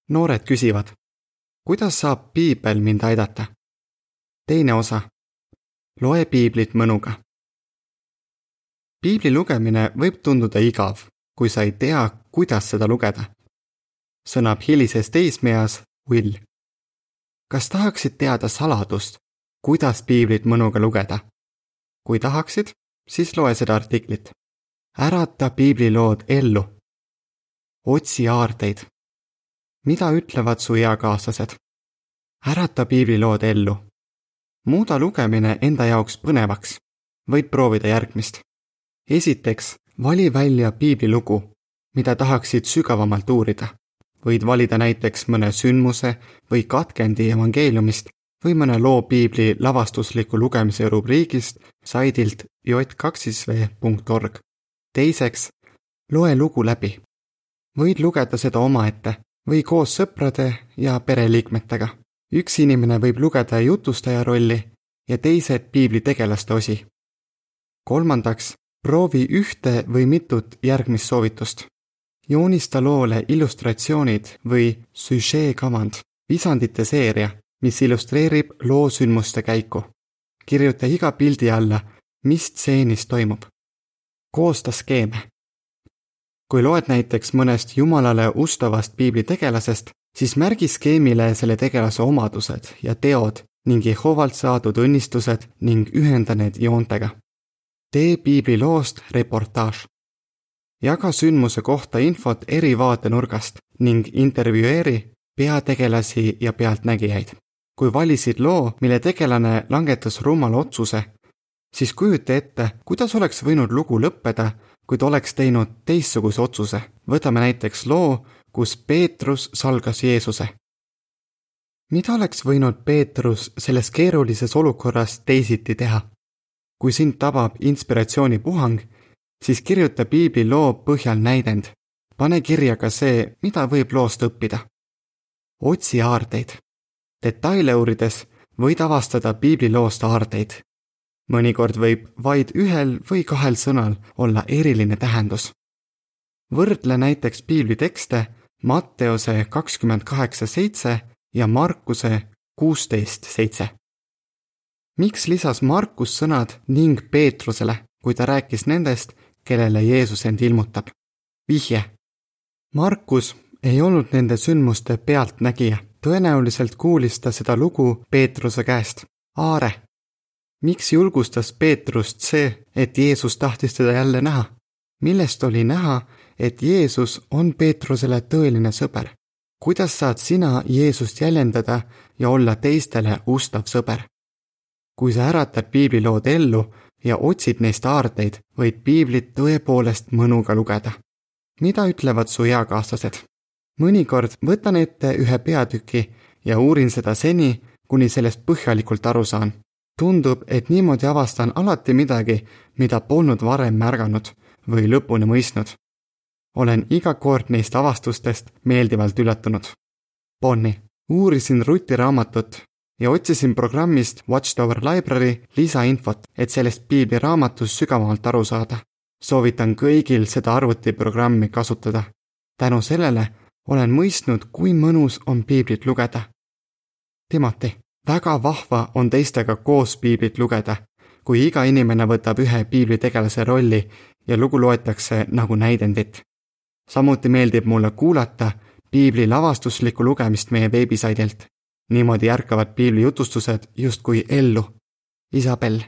Noored küsivad, kuidas saab piibel mind aidata? Teine osa. Loe piiblit mõnuga. Piibli lugemine võib tunduda igav, kui sa ei tea, kuidas seda lugeda. Sõnab hilises teismeas Will. Kas tahaksid teada saladust, kuidas piiblit mõnuga lugeda? Kui tahaksid, siis loe seda artiklit. Ärata piiblilood ellu. Otsi aarteid. Mida ütlevad su eakaaslased? Ärata piiblilood ellu. Muuda lugemine enda jaoks põnevaks. Võid proovida järgmist. Esiteks, vali välja piiblilugu, mida tahaksid sügavamalt uurida. Võid valida näiteks mõne sündmuse või katkendi evangeeliumist või mõne loo piibli lavastusliku lugemise rubriigist saidilt j2v.org. Teiseks, loe lugu läbi. Võid lugeda seda omaette või koos sõprade ja pereliikmetega. Üks inimene võib lugeda jutustaja rolli ja teised piibli tegelaste osi. Kolmandaks, proovi ühte või mitut järgmist soovitust. Joonista loole illustratsioonid või süžeekavand, visandite seeria, mis illustreerib loo sündmuste käiku. Kirjuta iga pildi alla, mis stseenis toimub. Koosta skeeme. Kui loed näiteks mõnest Jumalale ustavast piibli tegelasest, siis märgi skeemile selle tegelase omadused ja teod ning Jehovalt saadud õnnistused ning ühenda need joontega. Tee piibli loost reportaaž. Jaga sündmuse kohta infot eri vaatenurgast ning intervjueeri peategelasi ja pealtnägijaid. Kui valisid loo, mille tegelane langetas rumala otsuse, siis kujuta ette, kuidas oleks võinud lugu lõppeda, kui ta oleks teinud teistsuguse otsuse. Võtame näiteks loo, kus Peetrus salgas Jeesuse. Mida oleks võinud Peetrus selles keerulises olukorras teisiti teha? Kui sind tabab inspiratsioonipuhang, siis kirjuta piibli loo põhjal näidend. Pane kirja ka see, mida võib loost õppida. Otsi aarteid. Detaile uurides võid avastada piibli loost aarteid. Mõnikord võib vaid ühel või kahel sõnal olla eriline tähendus. Võrdle näiteks piibli tekste Matteuse 28:7 ja Markuse 16:7. Miks lisas Markus sõnad ning Peetrusele, kui ta rääkis nendest, kellele Jeesus end ilmutab? Vihje. Markus ei olnud nende sündmuste pealtnägija. Tõenäoliselt kuulis ta seda lugu Peetruse käest. Aare. Miks julgustas Peetrust see, et Jeesus tahtis teda jälle näha? Millest oli näha, et Jeesus on Peetrusele tõeline sõber? Kuidas saad sina Jeesust jäljendada ja olla teistele ustav sõber? Kui sa äratad piiblilood ellu ja otsid neist aarteid, võid piiblit tõepoolest mõnuga lugeda. Mida ütlevad su eakaaslased? Mõnikord võtan ette ühe peatüki ja uurin seda seni, kuni sellest põhjalikult aru saan. Tundub, et niimoodi avastan alati midagi, mida polnud varem märganud või lõpuni mõistnud. Olen iga kord neist avastustest meeldivalt üllatunud. Bonni. Uurisin Ruti raamatut ja otsisin programmist Watchtower Library lisainfot, et sellest piibli raamatust sügavamalt aru saada. Soovitan kõigil seda arvutiprogrammi kasutada. Tänu sellele olen mõistnud, kui mõnus on piiblit lugeda. Timothy, väga vahva on teistega koos piiblit lugeda, kui iga inimene võtab ühe piibli tegelase rolli ja lugu loetakse nagu näidendit. Samuti meeldib mulle kuulata piibli lavastuslikku lugemist meie veebisaidilt. Niimoodi järkavad piibli jutustused justkui ellu. Isabel.